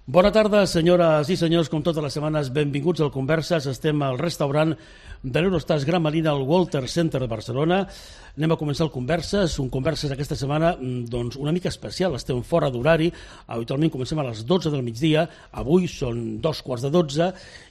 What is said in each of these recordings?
Bona tarda, senyores i senyors, com totes les setmanes, benvinguts al Converses. Estem al restaurant de l'Eurostars Gran Marina al Walter Center de Barcelona. Anem a començar el Converses, un Converses aquesta setmana doncs, una mica especial, estem fora d'horari, habitualment comencem a les 12 del migdia, avui són 2:45,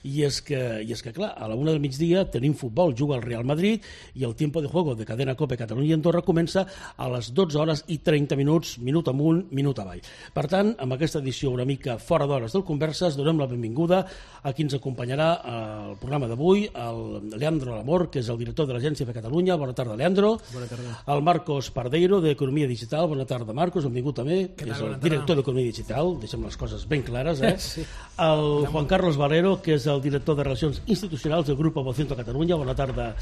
i és que clar, a la 1 del migdia tenim futbol, juga el Real Madrid, i el tiempo de juego de Cadena Cope Catalunya i Andorra comença a les 12:30, minut amunt, minut avall. Per tant, amb aquesta edició una mica fora d'hores del Converses, donem la benvinguda a qui ens acompanyarà al programa d'avui, el Leandro Lamor, que és el director de l'Agència de Catalunya. Bona tarda, Leandro. Bona tarda. El Marcos Pardeiro, d'Economia Digital. Bona tarda, Marcos, benvingut també, que és el director d'Economia Digital. Deixem les coses ben clares, Sí. El Juan Carlos Valero, que és el director de Relacions Institucionals del Grup Vocento Catalunya. Bona tarda,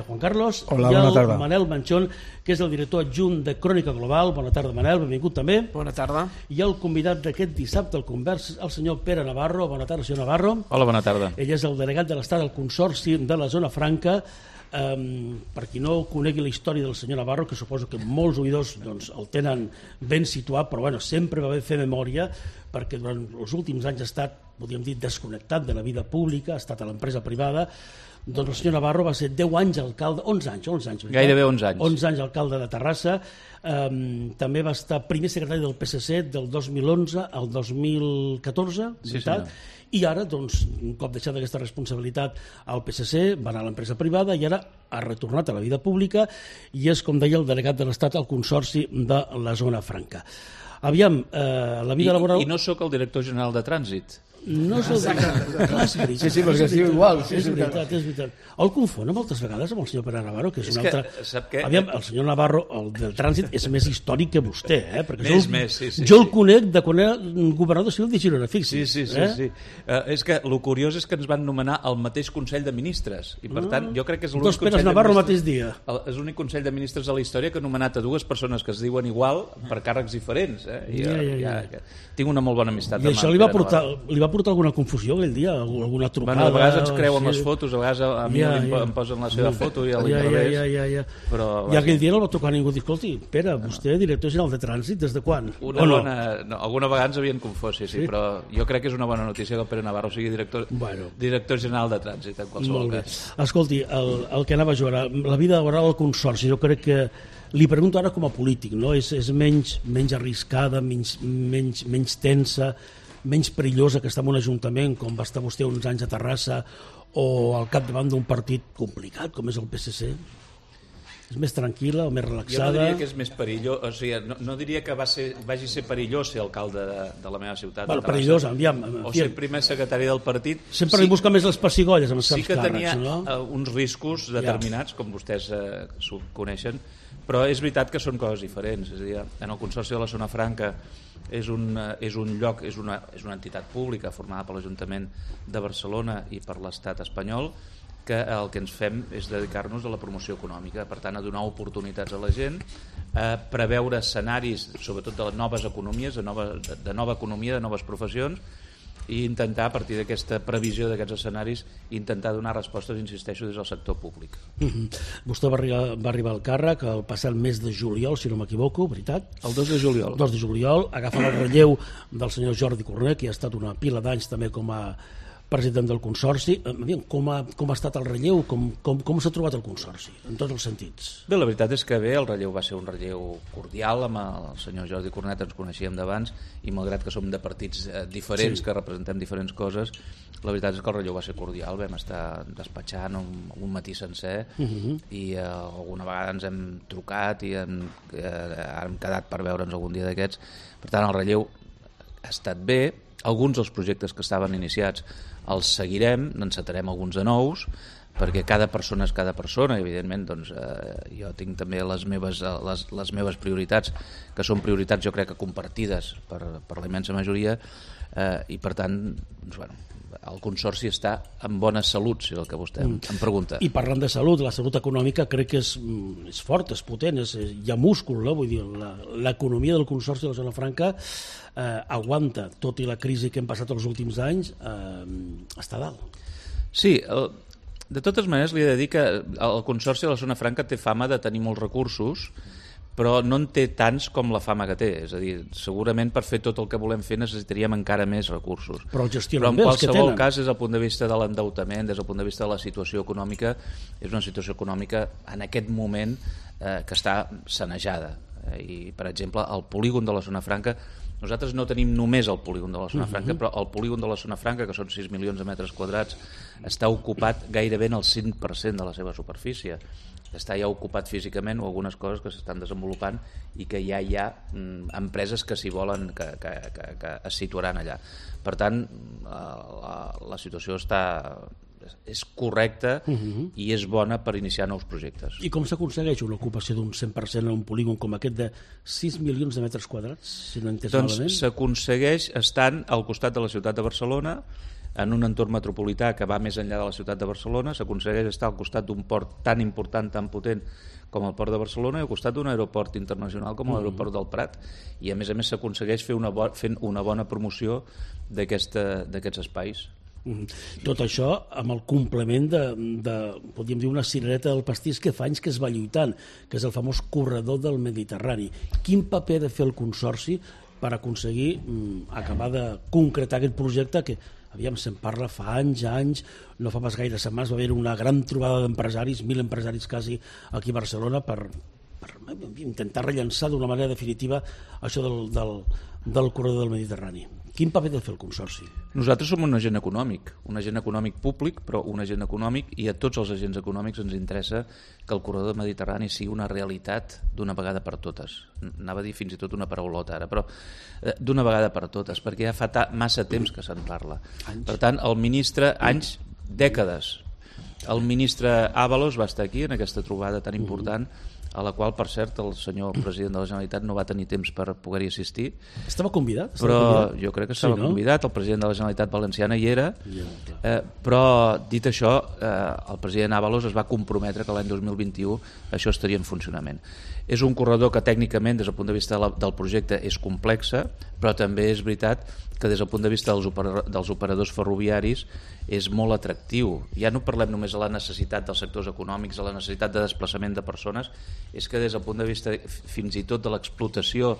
Juan Carlos. Hola, bona tarda. I el Manel Manchón, que és el director adjunt de Crònica Global. Bona tarda, Manel, benvingut també. Bona tarda. I el convidat d'aquest dissabte al Convers, el senyor Pere Navarro. Bona tarda, senyor Navarro. Hola, bona tarda. Ell és el delegat de l'Estat al Consorci de la Zona Franca. Per qui no conegui la història del senyor Navarro, que suposo que molts oïdors doncs, el tenen ben situat, però bueno, sempre va bé fer memòria, perquè durant els últims anys ha estat, podríem dir, desconnectat de la vida pública, ha estat a l'empresa privada. Doncs el senyor Navarro va ser 10 anys alcalde, 11 anys. Gairebé 11 anys. 11 anys alcalde de Terrassa. També va estar primer secretari del PSC del 2011 al 2014, veritat? Sí, i ara, doncs, un cop deixat aquesta responsabilitat al PSC, va anar a l'empresa privada i ara ha retornat a la vida pública i és, com deia, el delegat de l'Estat al Consorci de la Zona Franca. Aviam, la vida laboral... I no sóc el director general de Trànsit. No se'l Sí, perquè es diu igual. És veritat. El confon moltes vegades amb el senyor Pere Navarro, que és un altre... Sap què? Aviam, el senyor Navarro, el del Trànsit, és més històric que vostè, perquè Sí. jo el conec de quan era governador civil de Girona, fixi. Sí. És que el curiós és que ens van nomenar el mateix Consell de Ministres, i per tant jo crec que és l'únic Dos Peres Navarro el mateix dia. És l'únic Consell de Ministres de la història que ha nomenat a dues persones que es diuen igual per càrrecs diferents. Tinc una molt bona amistat. I això li va portar alguna confusió aquell dia? Alguna trucada? A vegades ens creuen les fotos, a vegades a mi em posen la seva foto i a l'inrevés. I aquell dia no el va trucar ningú. Escolti, Pere, vostè director general de Trànsit, des de quan? Alguna vegada ens havien confós, sí, però jo crec que és una bona notícia que el Pere Navarro sigui director general de Trànsit, en qualsevol cas. Escolti, el que anava a jugar, la vida laboral al Consorci, jo crec que li pregunto ara com a polític, no? És menys arriscada, menys tensa, menys perillosa que estar en un ajuntament com va estar vostè uns anys a Terrassa o al capdavant d'un partit complicat com és el PSC? És més tranquil·la o més relaxada? Jo no diria que és més perillós, o sigui, no diria que vagi ser perillós ser alcalde de la meva ciutat. Bueno, perillós, aviam. O ser primer secretari del partit. Sempre li busca més les pessigolles amb els certs càrrecs, no? Sí que tenia uns riscos determinats, com vostès s'ho coneixen, però és veritat que són coses diferents. És a dir, en el Consorci de la Zona Franca és un lloc, és una entitat pública formada per l'Ajuntament de Barcelona i per l'Estat espanyol, que el que ens fem és dedicar-nos a la promoció econòmica, per tant a donar oportunitats a la gent, a preveure escenaris sobretot de noves economies, de nova economia, de noves professions, i intentar a partir d'aquesta previsió d'aquests escenaris intentar donar respostes, insisteixo, des del sector públic. Vostè va arribar al càrrec el passat mes de juliol, si no m'equivoco, veritat? El 2 de juliol. El 2 de juliol, agafa el relleu del senyor Jordi Cornet, que ha estat una pila d'anys també com a president del Consorci. Com ha estat el relleu? Com s'ha trobat el Consorci, en tots els sentits? Bé, la veritat és que el relleu va ser un relleu cordial, amb el senyor Jordi Cornet ens coneixíem d'abans, i malgrat que som de partits diferents, que representem diferents coses, la veritat és que el relleu va ser cordial. Vam estar despatxant un matí sencer i alguna vegada ens hem trucat i hem quedat per veure'ns algun dia d'aquests. Per tant, el relleu ha estat bé. Alguns dels projectes que estaven iniciats els seguirem, n'encetarem alguns de nous, perquè cada persona és cada persona, i evidentment doncs, jo tinc també les meves prioritats, que són prioritats jo crec que compartides per la immensa majoria, i per tant doncs, bueno, el Consorci està en bona salut, si és el que vostè em pregunta. I parlant de salut, la salut econòmica crec que és forta, és potent, hi ha múscul, no? Vull dir, l'economia del Consorci de la Zona Franca aguanta, tot i la crisi que hem passat els últims anys, està a dalt. Sí, de totes maneres li he de dir que el Consorci de la Zona Franca té fama de tenir molts recursos, però no en té tants com la fama que té. És a dir, segurament per fer tot el que volem fer necessitaríem encara més recursos. Però el gestionen en bé els que tenen. qualsevol cas, des del punt de vista de l'endeutament, des del punt de vista de la situació econòmica, és una situació econòmica en aquest moment que està sanejada. I, per exemple, el polígon de la Zona Franca, nosaltres no tenim només el polígon de la Zona Franca, però el polígon de la Zona Franca, que són 6 milions de metres quadrats, està ocupat gairebé en el 5% de la seva superfície. Està ja ocupat físicament o algunes coses que s'estan desenvolupant i que ja hi ha empreses que s'hi volen, que es situaran allà. Per tant, la situació és correcta i és bona per iniciar nous projectes. I com s'aconsegueix una ocupació d'un 100% en un polígon com aquest de 6 milions de metres quadrats, si no he entès malament? Doncs s'aconsegueix estant al costat de la ciutat de Barcelona, en un entorn metropolità que va més enllà de la ciutat de Barcelona, s'aconsegueix estar al costat d'un port tan important, tan potent com el port de Barcelona i al costat d'un aeroport internacional com l'aeroport del Prat, i a més s'aconsegueix fent una bona promoció d'aquests espais. Tot això amb el complement de podríem dir, una cirereta del pastís que fa anys que es va lluitant, que és el famós corredor del Mediterrani. Quin paper ha de fer el Consorci per aconseguir acabar de concretar aquest projecte que, aviam, se'n parla fa anys, no fa pas gaire setmanes, va haver una gran trobada d'empresaris, 1.000 empresaris quasi aquí a Barcelona per intentar rellençar d'una manera definitiva això del corredor del Mediterrani. Quin paper ha de fer el Consorci? Nosaltres som un agent econòmic públic, però un agent econòmic, i a tots els agents econòmics ens interessa que el corredor mediterrani sigui una realitat d'una vegada per totes. Anava a dir fins i tot una paraulota ara, però d'una vegada per totes, perquè ja fa massa temps que se'n parla. Per tant, el ministre, dècades, el ministre Ábalos va estar aquí en aquesta trobada tan important, a la qual, per cert, el senyor president de la Generalitat no va tenir temps per poder-hi assistir. Estava convidat? Però jo crec que estava convidat, el president de la Generalitat Valenciana hi era, però dit això, el president Ábalos es va comprometre que l'any 2021 això estaria en funcionament. És un corredor que tècnicament, des del punt de vista del projecte, és complexa, però també és veritat que des del punt de vista dels operadors ferroviaris és molt atractiu. Ja no parlem només de la necessitat dels sectors econòmics, de la necessitat de desplaçament de persones, és que des del punt de vista fins i tot de l'explotació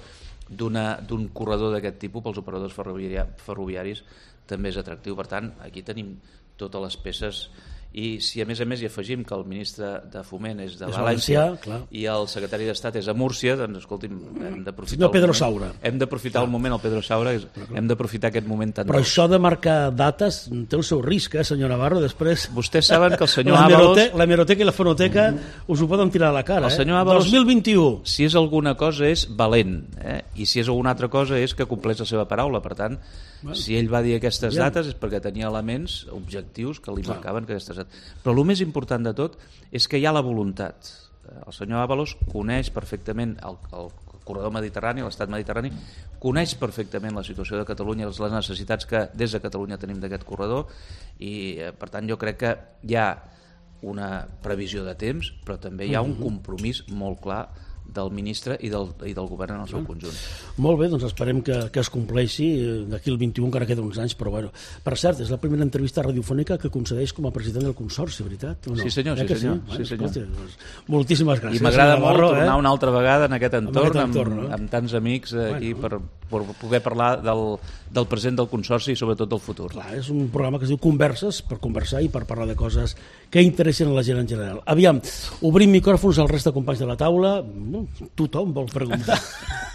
d'un corredor d'aquest tipus pels operadors ferroviaris també és atractiu. Per tant, aquí tenim totes les peces. I si a més hi afegim que el ministre de Foment és de València i el secretari d'Estat és a Múrcia, doncs escolti'm, hem d'aprofitar el moment, el Pedro Saura, hem d'aprofitar aquest moment tan... Però això de marcar dates té el seu risc, senyor Navarro, després... Vostès saben que el senyor Ábalos... L'hemeroteca i la fonoteca us ho poden tirar a la cara, el senyor Ábalos, 2021. Si és alguna cosa és valent, i si és alguna altra cosa és que compleix la seva paraula. Per tant, si ell va dir aquestes dates és perquè tenia elements objectius que li marcaven que aquestes dates. Però el més important de tot és que hi ha la voluntat. El senyor Ábalos coneix perfectament el corredor mediterrani, l'estat mediterrani, coneix perfectament la situació de Catalunya, les necessitats que des de Catalunya tenim d'aquest corredor, i per tant jo crec que hi ha una previsió de temps, però també hi ha un compromís molt clar del ministre i del govern en el seu conjunt. Molt bé, doncs esperem que es compleixi d'aquí el 21, encara queden uns anys, però bueno. Per cert, és la primera entrevista radiofònica que concedeix com a president del Consorci, veritat? No? Sí senyor, sí senyor. Escolta, doncs, moltíssimes gràcies. I m'agrada molt tornar una altra vegada en aquest entorn, amb tants amics aquí per poder parlar del present del Consorci i sobretot del futur. Clar, és un programa que es diu Converses, per conversar i per parlar de coses que interessen a la gent en general. Aviam, obrim micròfons al resta de companys de la taula. Tothom vol preguntar.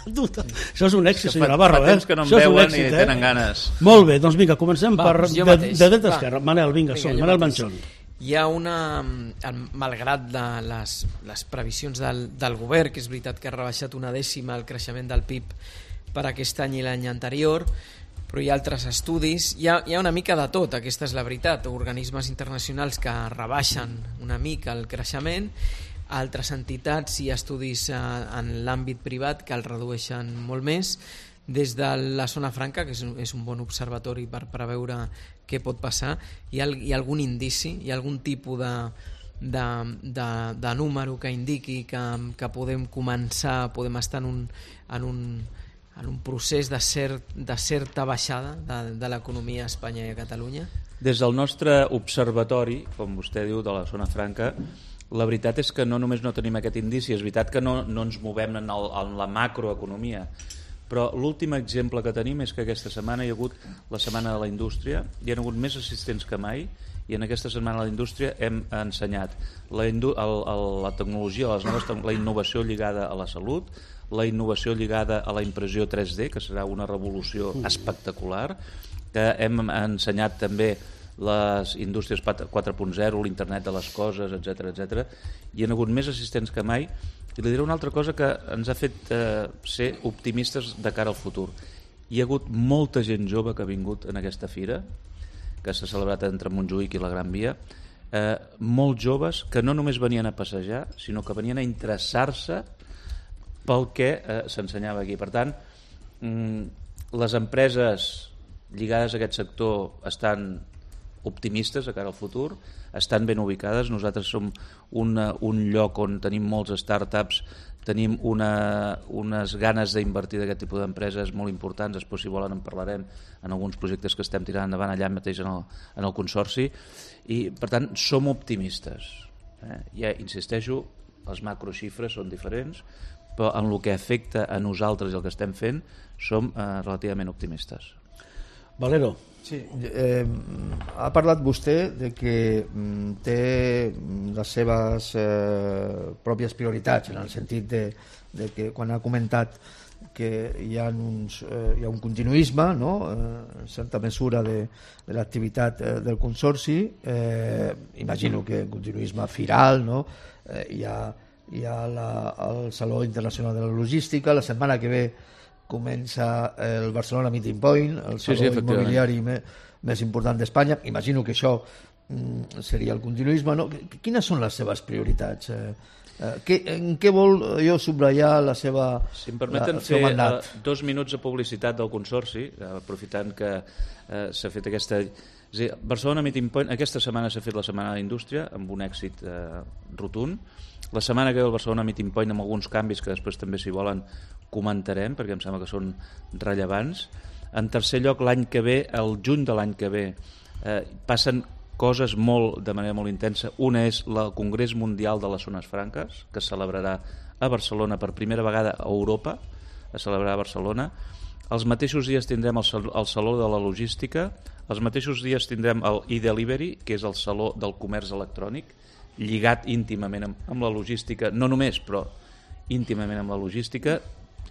Això és un èxit, senyor Navarro. Fa temps que no em veuen i tenen ganes. Molt bé, doncs vinga, comencem de dreta a esquerra. Manel, vinga, Manel Manchón. Hi ha una, malgrat les previsions del govern, que és veritat que ha rebaixat una dècima el creixement del PIB per aquest any i l'any anterior, però hi ha altres estudis, hi ha una mica de tot, aquesta és la veritat, organismes internacionals que rebaixen una mica el creixement, altres entitats i estudis en l'àmbit privat que el redueixen molt més. Des de la Zona Franca, que és un bon observatori per preveure què pot passar, hi ha algun indici, hi ha algun tipus de número que indiqui que podem estar en un procés de certa baixada de l'economia a Espanya i a Catalunya? Des del nostre observatori, com vostè diu, de la Zona Franca, La veritat és que no només no tenim aquest indici, és veritat que no ens movem en la macroeconomia, però l'últim exemple que tenim és que aquesta setmana hi ha hagut la Setmana de la Indústria, hi ha hagut més assistents que mai, i en aquesta Setmana de la Indústria hem ensenyat la tecnologia, la innovació lligada a la salut, la innovació lligada a la impressió 3D, que serà una revolució espectacular, que hem ensenyat també les indústries 4.0, l'internet de les coses, etc. Hi ha hagut més assistents que mai, i li diré una altra cosa que ens ha fet ser optimistes de cara al futur. Hi ha hagut molta gent jove que ha vingut en aquesta fira, que s'ha celebrat entre Montjuïc i la Gran Via, molt joves que no només venien a passejar, sinó que venien a interessar-se pel que s'ensenyava aquí. Per tant, les empreses lligades a aquest sector estan optimistes de cara al futur, estan ben ubicades. Nosaltres som un lloc on tenim molts startups, tenim unes ganes d'invertir d'aquest tipus d'empreses molt importants. Després, si volen, en parlarem en alguns projectes que estem tirant endavant allà mateix en el Consorci, i per tant som optimistes. Ja insisteixo, les macroxifres són diferents, però en el que afecta a nosaltres i el que estem fent som relativament optimistes. Valero. Sí, ha parlat vostè de que té les seves pròpies prioritats, en el sentit de que quan ha comentat que hi ha un continuisme, no? En certa mesura de l'activitat del Consorci, imagino que un continuisme firal, no? Hi ha el Saló Internacional de la Logística, la setmana que ve comença el Barcelona Meeting Point, el saló immobiliari més important d'Espanya. Imagino que això seria el continuisme, no? Quines són les seves prioritats? En què vol jo subratllar la seva mandat? Si em permeten fer 2 minuts de publicitat del Consorci, aprofitant que s'ha fet aquesta... És a dir, Barcelona Meeting Point, aquesta setmana s'ha fet la Setmana de la Indústria amb un èxit rotund. La setmana que ve el Barcelona Meeting Point amb alguns canvis que després també, si volen, comentarem, perquè em sembla que són rellevants. En tercer lloc, l'any que ve, el juny de l'any que ve, passen coses de manera molt intensa. Una és el Congrés Mundial de les Zones Franques, que es celebrarà a Barcelona per primera vegada a Europa, es celebrarà a Barcelona. Els mateixos dies tindrem el Saló de la Logística, els mateixos dies tindrem el e-Delivery, que és el Saló del Comerç Electrònic, lligat íntimament amb la logística, no només, però íntimament amb la logística.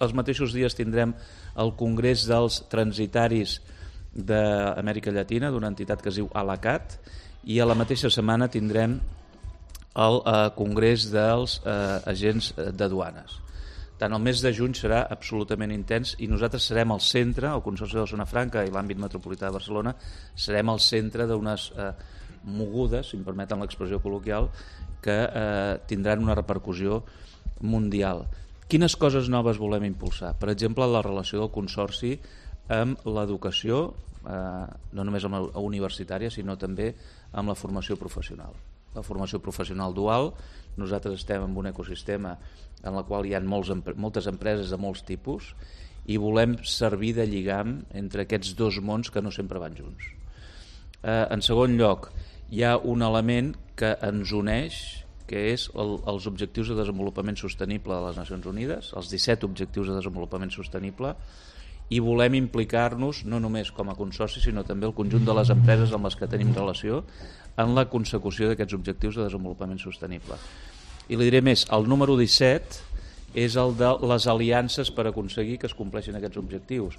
Els mateixos dies tindrem el Congrés dels Transitaris d'Amèrica Llatina, d'una entitat que es diu ALACAT, i a la mateixa setmana tindrem el Congrés dels Agents de Duanes. Tant el mes de juny serà absolutament intens i nosaltres serem el centre, el Consorci de la Zona Franca i l'àmbit metropolità de Barcelona, serem el centre d'unes mogudes, si em permeten l'expressió col·loquial, que tindran una repercussió mundial. Quines coses noves volem impulsar? Per exemple, la relació del Consorci amb l'educació, no només amb la universitària, sinó també amb la formació professional. La formació professional dual, nosaltres estem en un ecosistema en el qual hi ha moltes empreses de molts tipus i volem servir de lligam entre aquests dos mons que no sempre van junts. En segon lloc, hi ha un element que ens uneix, que és els Objectius de Desenvolupament Sostenible de les Nacions Unides, els 17 Objectius de Desenvolupament Sostenible, i volem implicar-nos no només com a consorci, sinó també el conjunt de les empreses amb les que tenim relació en la consecució d'aquests Objectius de Desenvolupament Sostenible. I li diré més, el número 17 és el de les aliances per aconseguir que es compleixin aquests objectius.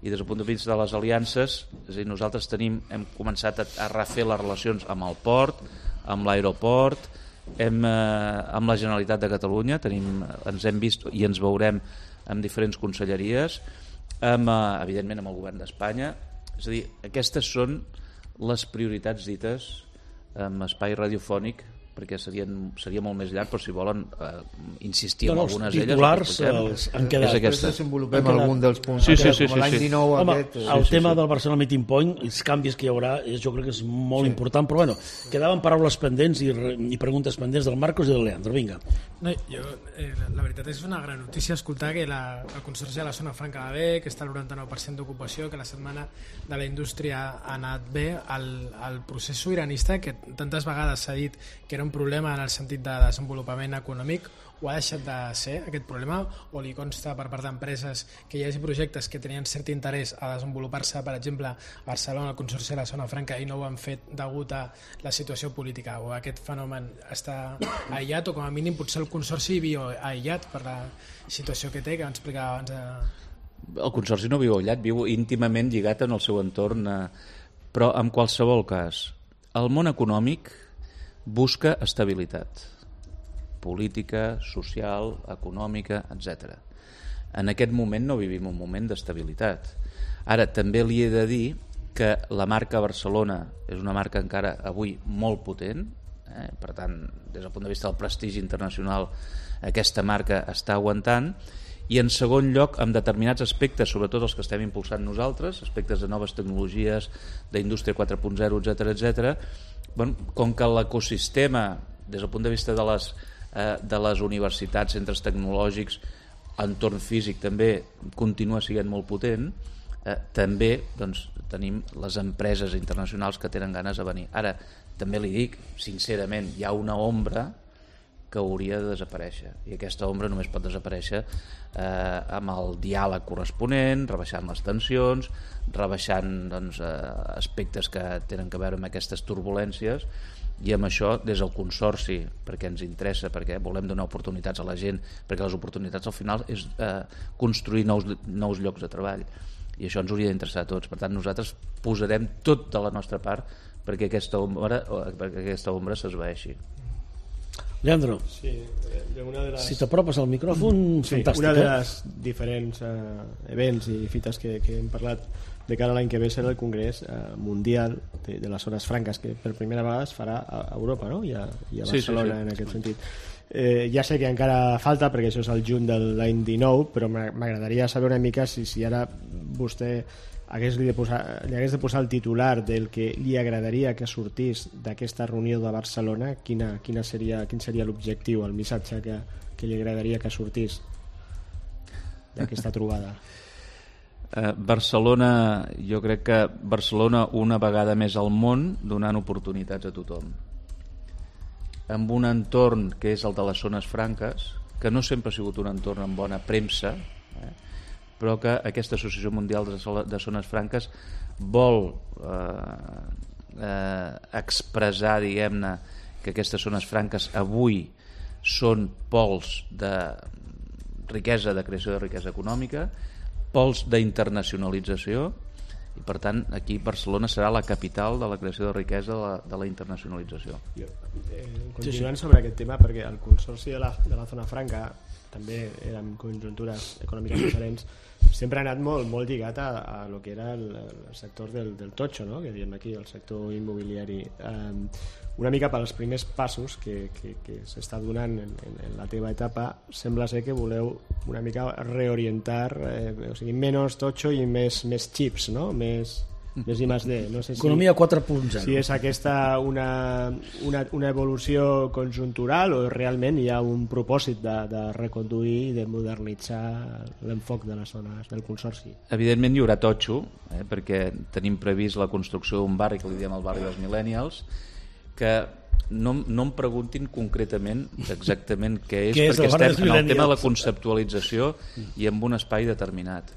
I des del punt de vista de les aliances, és a dir, nosaltres hem començat a refer les relacions amb el port, amb l'aeroport, amb la Generalitat de Catalunya, ens hem vist i ens veurem amb diferents conselleries, evidentment amb el govern d'Espanya. És a dir, aquestes són les prioritats dites en espai radiofònic, perquè seria molt més llarg, però si volen insistir en algunes d'elles... Els titulars han quedat. Després desenvolupem algun dels punts. Sí. Com l'any 19 Home, aquest... el tema del Barcelona Meeting Point, els canvis que hi haurà, jo crec que és molt important, però bueno, quedaven paraules pendents i preguntes pendents del Marcos i del Leandro. Vinga. No, la veritat és una gran notícia escoltar que el Consorci de la Zona Franca va bé, que està al 99% d'ocupació, que la Setmana de la Indústria ha anat bé. El procés sobiranista, que tantes vegades s'ha dit que era un problema en el sentit de desenvolupament econòmic, o ha deixat de ser aquest problema, o li consta per part d'empreses que hi hagi projectes que tenien cert interès a desenvolupar-se, per exemple, a Barcelona, al Consorci de la Zona Franca, i no ho han fet degut a la situació política, o aquest fenomen està aïllat, o com a mínim potser el Consorci viu aïllat per la situació que té, que vam explicar abans. El Consorci no viu aïllat, viu íntimament lligat en el seu entorn, però en qualsevol cas, el món econòmic busca estabilitat política, social, econòmica, etc. En aquest moment no vivim un moment d'estabilitat. Ara, també li he de dir que la marca Barcelona és una marca encara avui molt potent, per tant, des del punt de vista del prestigi internacional, aquesta marca està aguantant, i en segon lloc, amb determinats aspectes, sobretot els que estem impulsant nosaltres, aspectes de noves tecnologies, d'indústria 4.0, etc., com que l'ecosistema, des del punt de vista de les universitats, centres tecnològics, entorn físic també continua sent molt potent, també tenim les empreses internacionals que tenen ganes de venir. Ara, també li dic, sincerament, hi ha una ombra que hauria de desaparèixer, i aquesta ombra només pot desaparèixer amb el diàleg corresponent, rebaixant les tensions, rebaixant aspectes que tenen a veure amb aquestes turbulències, i amb això des del Consorci, perquè ens interessa, perquè volem donar oportunitats a la gent, perquè les oportunitats al final és construir nous llocs de treball, i això ens hauria d'interessar a tots. Per tant, nosaltres posarem tot de la nostra part perquè aquesta ombra s'esvaeixi. Leandro, sí, si t'apropes al micròfon, fantàstic. Una de les diferents events i fites que hem parlat de cara a l'any que ve serà el Congrés Mundial de les Zones Franques, que per primera vegada es farà a Europa, no? I a Barcelona, sí. En aquest sentit. Ja sé que encara falta, perquè això és el juny de l'any 19, però m'agradaria saber una mica si ara vostè li hagués de posar el titular del que li agradaria que sortís d'aquesta reunió de Barcelona, quin seria l'objectiu, el missatge que li agradaria que sortís d'aquesta trobada. Barcelona, jo crec que Barcelona una vegada més al món donant oportunitats a tothom, amb un entorn que és el de les zones franques, que no sempre ha sigut un entorn amb bona premsa, però que aquesta Associació Mundial de Zones Franques vol expressar, diguem-ne, que aquestes zones franques avui són pols de riquesa, de creació de riquesa econòmica, pols d'internacionalització, i per tant aquí Barcelona serà la capital de la creació de riquesa de la internacionalització. Continuant sobre aquest tema, perquè el Consorci de la Zona Franca també eren conjuntures econòmiques diferents, sempre ha anat molt lligat a lo que era el sector del totxo, no? Que diem aquí, el sector immobiliari. Una mica pels primers passos que s'està donant en la teva etapa, sembla ser que voleu una mica reorientar, o sigui, menys totxo i més chips, no? Més I més D. No sé Economia 4.0. Si és aquesta una evolució conjuntural o realment hi ha un propòsit de reconduir i de modernitzar l'enfoc de les zones del Consorci. Evidentment hi haurà totxo, perquè tenim previst la construcció d'un barri que li diem el barri dels Millennials, que no em preguntin concretament exactament què és, perquè estem en el tema de la conceptualització i en un espai determinat.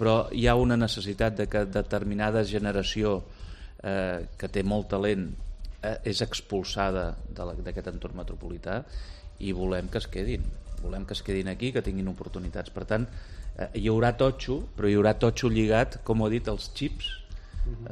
Però hi ha una necessitat de que determinada generació que té molt talent és expulsada d'aquest entorn metropolità i volem que es quedin aquí, que tinguin oportunitats. Per tant, hi haurà totxo, però hi haurà totxo lligat, com ho he dit, als xips,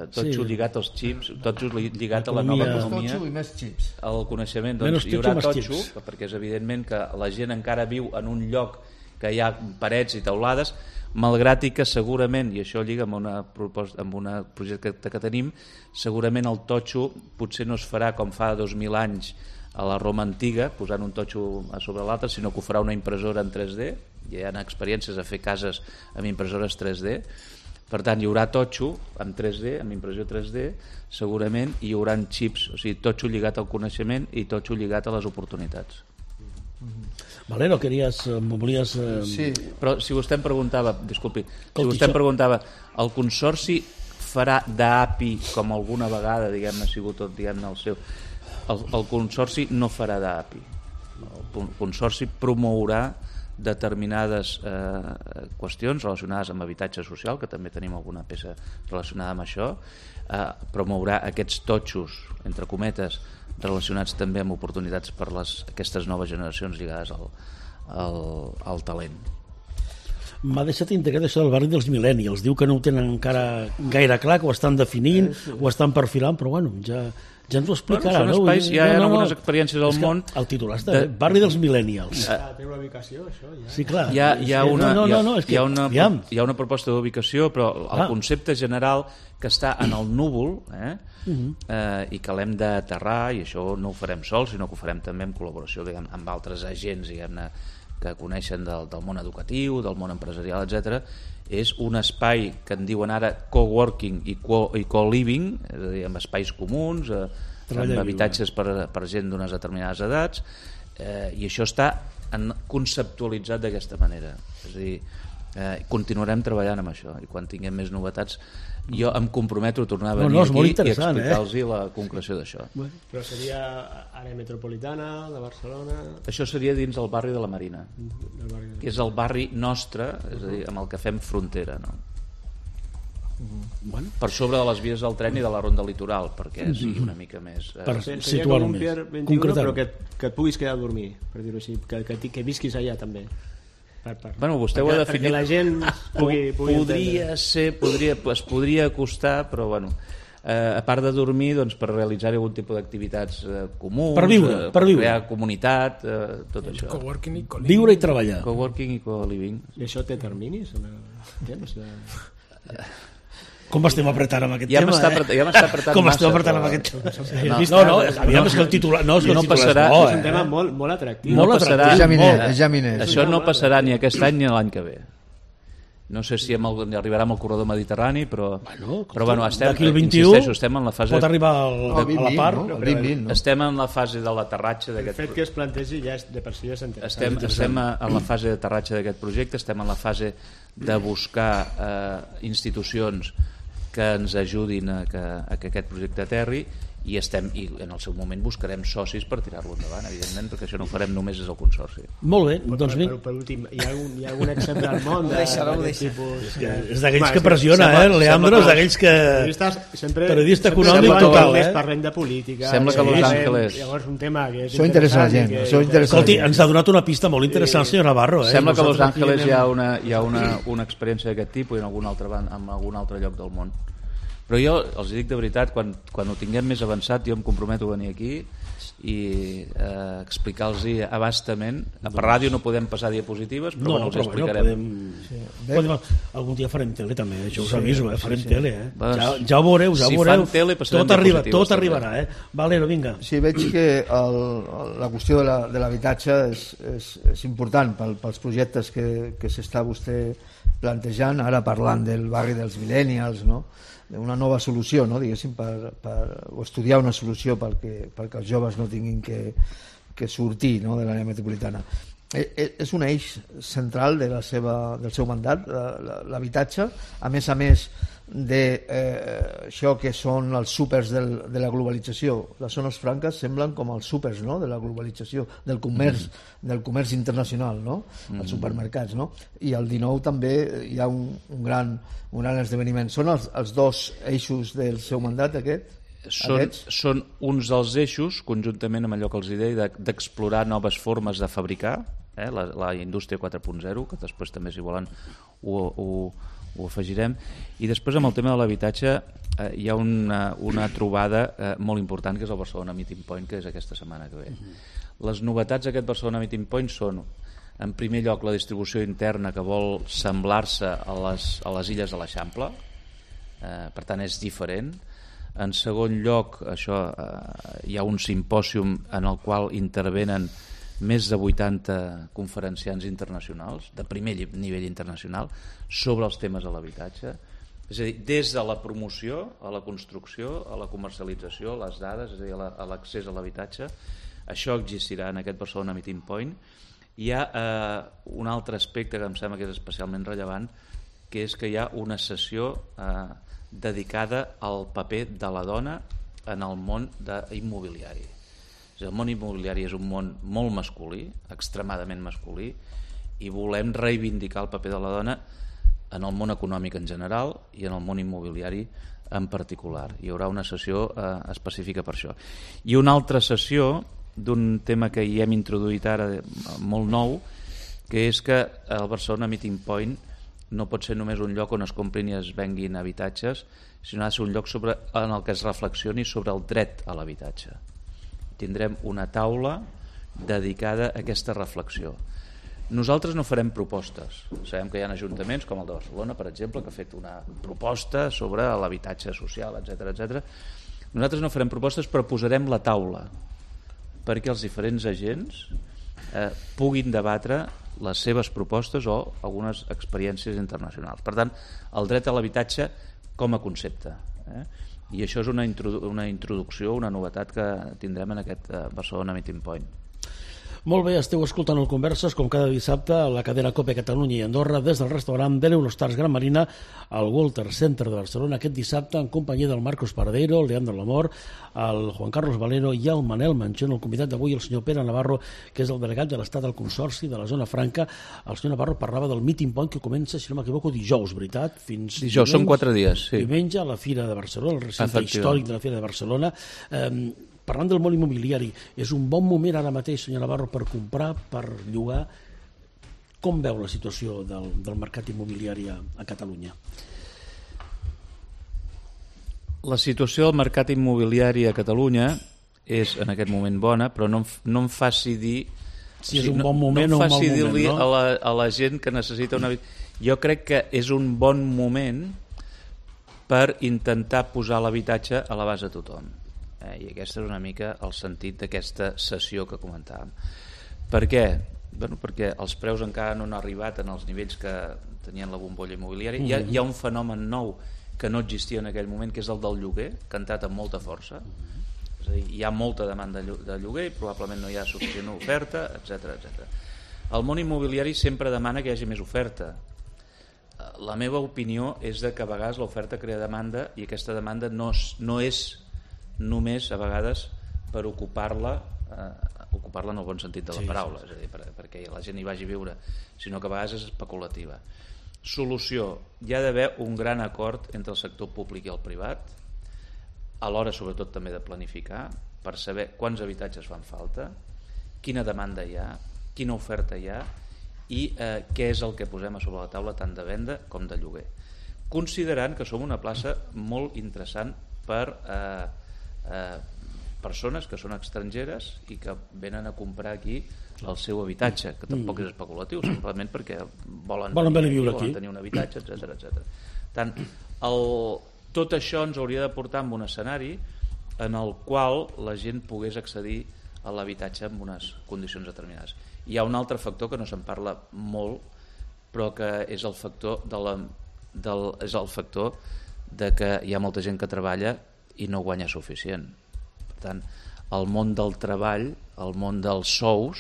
totxo lligat als xips, totxo lligat a la nova economia, i més xips, al coneixement. Doncs hi haurà totxo, perquè és evidentment que la gent encara viu en un lloc que hi ha parets i teulades, malgrat i que segurament, i això lliga amb un projecte que tenim, segurament el totxo potser no es farà com fa 2.000 anys a la Roma antiga, posant un totxo a sobre l'altre, sinó que ho farà una impressora en 3D. Hi ha experiències a fer cases amb impressores 3D. Per tant, hi haurà totxo amb 3D, amb impressió 3D, segurament hi haurà xips, o sigui, totxo lligat al coneixement i totxo lligat a les oportunitats. Valero, volies... Sí. Però si vostè em preguntava, disculpi, si vostè em preguntava, el Consorci farà d'API com alguna vegada, diguem-ne, ha sigut tot, diguem-ne, el seu... el Consorci no farà d'API. El Consorci promourà determinades qüestions relacionades amb habitatge social, que també tenim alguna peça relacionada amb això, promourà aquests totxos, entre cometes, relacionats també amb oportunitats per aquestes noves generacions lligades al talent. M'ha deixat integrat això del barri dels millennials. Diu que no ho tenen encara gaire clar, que ho estan definint, ho estan perfilant, però bueno, ja ens ho explicarà. Són espais, hi ha algunes experiències al món. El titular està barri dels millennials. Té una ubicació, això? Sí, clar. Hi ha una proposta d'ubicació, però el concepte general que està en el núvol i que l'hem d'aterrar, i això no ho farem sols, sinó que ho farem també en col·laboració amb altres agents, diguem-ne, que coneixen del món educatiu, del món empresarial, etc. És un espai que en diuen ara coworking i co-living, és a dir, amb espais comuns, amb habitatges per gent d'unes determinades edats, i això està conceptualitzat d'aquesta manera. És a dir, continuarem treballant amb això, i quan tinguem més novetats jo em comprometo a tornar a venir aquí i explicar-los la concreció d'això. Però seria àrea metropolitana de Barcelona? Això seria dins el barri de la Marina, que és el barri nostre, és a dir, amb el que fem frontera, no? Per sobre de les vies del tren i de la ronda litoral, perquè sigui una mica més... Per situar-ho més. Però que et puguis quedar a dormir, per dir-ho així, que visquis allà també. Bueno, vostè ho ha definit. Perquè la gent es podria acostar, però bueno, a part de dormir, doncs, per realitzar algun tipus d'activitats comuns, per viure. Crear comunitat, tot això. Viure i treballar. Coworking i co-living. I això té terminis? Temps? Com estem apretant amb aquest tema? Ja m'està apretant com estem apretant amb aquest tema? No, aviam, és que el titular... No passarà. És un tema molt atractiu. Això no passarà ni aquest any ni l'any que ve. No sé si arribarà amb el corredor mediterrani, però bueno, estem en la fase... Pot arribar a la part. Estem en la fase de l'aterratge d'aquest... El fet que es plantegi ja de per si ja s'entén. Estem en la fase d'aterratge d'aquest projecte, estem en la fase de buscar institucions que ens ajudin a que aquest projecte aterri, i en el seu moment buscarem socis per tirar-lo endavant, evidentment, perquè això no ho farem només des del Consorci. Molt bé, doncs per últim, hi ha algun exemple al món d'aquest tipus? És d'aquells que pressiona, Leandro, és d'aquells que... Periodista econòmic total, parlem de política. Sembla que Los Ángeles... Llavors un tema que és això interessa la gent. Escolti, ens ha donat una pista molt interessant el senyor Navarro. Sembla que a Los Ángeles hi ha una experiència d'aquest tipus i en algun altre lloc del món. Però jo els dic de veritat, quan ho tinguem més avançat, jo em comprometo a venir aquí i explicar-los abastament. Per ràdio no podem passar diapositives, però els explicarem. Algun dia farem tele també, això us aviso, farem tele. Ja ho veureu, Si fan tele, passarem diapositives. Tot arribarà. Valero, vinga. Sí, veig que la qüestió de l'habitatge és important pels projectes que s'està vostè plantejant, ara parlant del barri dels millennials, no? Una nova solució, no? Diguéssim, o estudiar una solució perquè els joves no tinguin que sortir, no? De l'àrea metropolitana. És un eix central del seu mandat, l'habitatge, a més d'això que són els súpers de la globalització. Les zones franques semblen com els súpers, no? De la globalització, del comerç internacional, no? Els supermercats, no? I el 19 també hi ha un gran esdeveniment. Són els dos eixos del seu mandat, Són uns dels eixos, conjuntament amb allò que els deia, d'explorar noves formes de fabricar, la indústria 4.0, que després també, si volen, ho afegirem. I després, amb el tema de l'habitatge, hi ha una trobada molt important, que és el Barcelona Meeting Point, que és aquesta setmana que ve. Les novetats d'aquest Barcelona Meeting Point són, en primer lloc, la distribució interna, que vol semblar-se a les illes de l'Eixample, per tant és diferent. En segon lloc, hi ha un simpòsium en el qual intervenen més de 80 conferenciants internacionals, de primer nivell internacional, sobre els temes de l'habitatge. És a dir, des de la promoció, a la construcció, a la comercialització, a les dades, és a dir, a l'accés a l'habitatge. Això existirà en aquest Barcelona Meeting Point. Hi ha un altre aspecte que em sembla que és especialment rellevant, que és que hi ha una sessió dedicada al paper de la dona en el món immobiliari. El món immobiliari és un món molt masculí, extremadament masculí, i volem reivindicar el paper de la dona en el món econòmic en general i en el món immobiliari en particular. Hi haurà una sessió específica per això. I una altra sessió d'un tema que hi hem introduït ara molt nou, que és que el Barcelona Meeting Point no pot ser només un lloc on es comprin i es venguin habitatges, sinó ha de ser un lloc en el que es reflexioni sobre el dret a l'habitatge. Tindrem una taula dedicada a aquesta reflexió. Nosaltres no farem propostes. Sabem que hi ha ajuntaments, com el de Barcelona, per exemple, que ha fet una proposta sobre l'habitatge social, etc. Nosaltres no farem propostes, però posarem la taula perquè els diferents agents puguin debatre les seves propostes o algunes experiències internacionals. Per tant, el dret a l'habitatge com a concepte. I això és una introducció, una novetat que tindrem en aquest Barcelona Meeting Point. Molt bé, esteu escoltant el Converses com cada dissabte a la cadena COPE Catalunya i Andorra des del restaurant de l'Eurostars Gran Marina al Walter Center de Barcelona aquest dissabte en companyia del Marcos Paradero, el Leandro Lamor, el Juan Carlos Valero i el Manel Manchón. El convidat d'avui, el senyor Pere Navarro, que és el delegat de l'Estat al Consorci de la Zona Franca. El senyor Navarro parlava del Meeting Point que comença, si no m'equivoco, dijous, veritat? Fins dijous, són 4 dies, sí. Diumenge a la Fira de Barcelona, el recinte històric de la Fira de Barcelona. Parlant del món immobiliari, és un bon moment ara mateix, senyor Navarro, per comprar, per llogar. Com veu la situació del mercat immobiliari a Catalunya? La situació del mercat immobiliari a Catalunya és en aquest moment bona, però no em faci dir... Si és un bon moment o un mal moment, no? No em faci dir-li a la gent que necessita una... Jo crec que és un bon moment per intentar posar l'habitatge a l'abast de tothom. I aquest és una mica el sentit d'aquesta sessió que comentàvem. Per què? Perquè els preus encara no han arribat en els nivells que tenien la bombolla immobiliària. Hi ha un fenomen nou que no existia en aquell moment, que és el del lloguer, que ha entrat amb molta força. És a dir, hi ha molta demanda de lloguer i probablement no hi ha suficient oferta, etc. El món immobiliari sempre demana que hi hagi més oferta. La meva opinió és que a vegades l'oferta crea demanda i aquesta demanda no és només a vegades per ocupar-la en el bon sentit de la paraula, és a dir, perquè la gent hi vagi a viure, sinó que a vegades és especulativa. Solució: hi ha d'haver un gran acord entre el sector públic i el privat, a l'hora sobretot també de planificar, per saber quants habitatges fan falta, quina demanda hi ha, quina oferta hi ha i què és el que posem a sobre la taula tant de venda com de lloguer, considerant que som una plaça molt interessant per persones que són estrangeres i que venen a comprar aquí el seu habitatge, que tampoc és especulatiu, simplement perquè volen viure aquí, volen tenir un habitatge, etc. Tant, tot això ens hauria de portar a un escenari en el qual la gent pogués accedir a l'habitatge en unes condicions determinades. Hi ha un altre factor que no se'n parla molt, però que és el factor de que hi ha molta gent que treballa i no guanya suficient. Per tant, el món del treball, el món dels sous,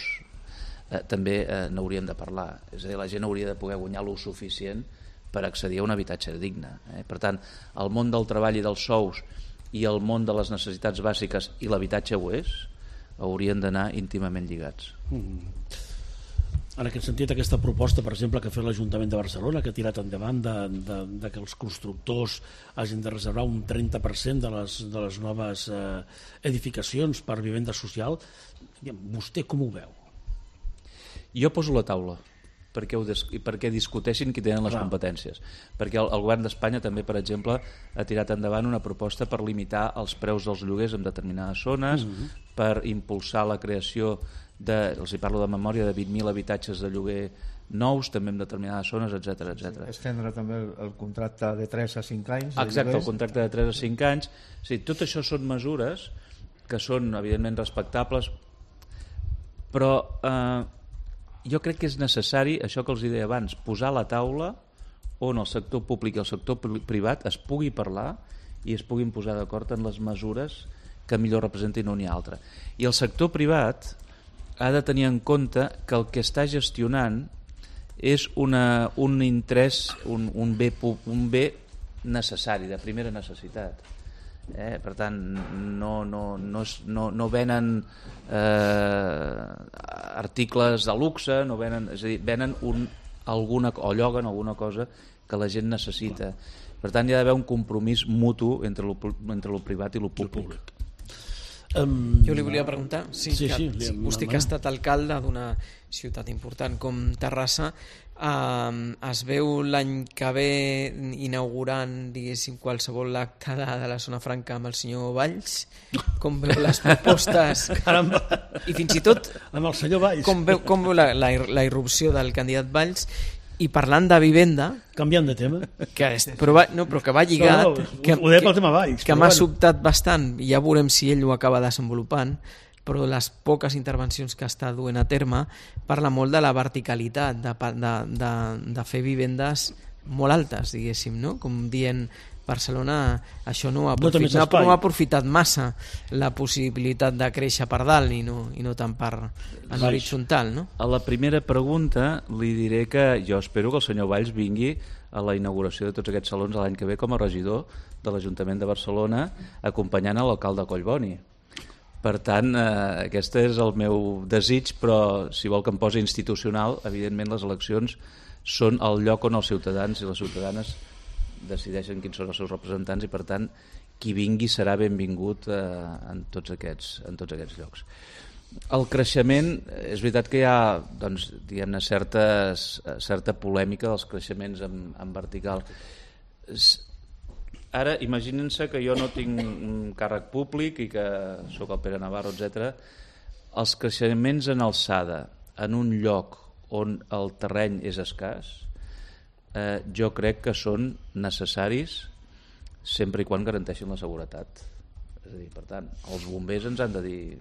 també n'hauríem de parlar. És a dir, la gent hauria de poder guanyar lo suficient per accedir a un habitatge digne. Per tant, el món del treball i dels sous i el món de les necessitats bàsiques i l'habitatge ho és, haurien d'anar íntimament lligats. En aquest sentit, aquesta proposta, per exemple, que ha fet l'Ajuntament de Barcelona, que ha tirat endavant de que els constructors hagin de reservar un 30% de les noves edificacions per vivenda social, vostè com ho veu? Jo poso la taula perquè discuteixin qui tenen les competències, perquè el govern d'Espanya també, per exemple, ha tirat endavant una proposta per limitar els preus dels lloguers en determinades zones, per impulsar la creació els hi parlo de memòria, de 20.000 habitatges de lloguer nous també en determinades zones, etc. Estendre també el contracte de 3 a 5 anys. Exacte, el contracte de 3 a 5 anys. Tot això són mesures que són evidentment respectables, però jo crec que és necessari, això que els deia abans, posar a la taula on el sector públic i el sector privat es pugui parlar i es puguin posar d'acord en les mesures que millor representin un i altre. I el sector privat ha de tenir en compte que el que està gestionant és un interès, un bé necessari, de primera necessitat. Per tant, no venen articles de luxe, no venen, és a dir, venen o lloguen alguna cosa que la gent necessita. Per tant, hi ha d'haver un compromís mutu entre lo privat i lo públic. Jo li volia preguntar, vostè que ha estat alcalde d'una ciutat important com Terrassa, es veu l'any que ve inaugurant, diguéssim, qualsevol acte de la zona franca amb el senyor Valls? Com veu les propostes? Caramba. I fins i tot amb el senyor Valls. Com veu la irrupció del candidat Valls? I parlant de vivenda, canviant de tema, però que va lligat, ho deia pel tema Valls, que m'ha sobtat bastant, i ja veurem si ell ho acaba desenvolupant, però les poques intervencions que està duent a terme parla molt de la verticalitat, de fer vivendes molt altes, diguéssim, no? Com dient, Barcelona això no ha aprofitat massa la possibilitat de créixer per dalt i no tant per en l'horitzontal, no? A la primera pregunta li diré que jo espero que el senyor Valls vingui a la inauguració de tots aquests salons l'any que ve com a regidor de l'Ajuntament de Barcelona acompanyant l'alcalde Collboni. Per tant, aquest és el meu desig, però si vol que em posi institucional, evidentment les eleccions són el lloc on els ciutadans i les ciutadanes decideixen quins són els seus representants i per tant qui vingui serà benvingut en tots aquests llocs. El creixement, és veritat que hi ha doncs, diguem-ne certa polèmica dels creixements en vertical. Ara imaginin-se que jo no tinc un càrrec públic i que sóc el Pere Navarro, etc. Els creixements en alçada en un lloc on el terreny és escàs jo crec que són necessaris sempre i quan garanteixin la seguretat. És a dir, per tant, els bombers ens han de dir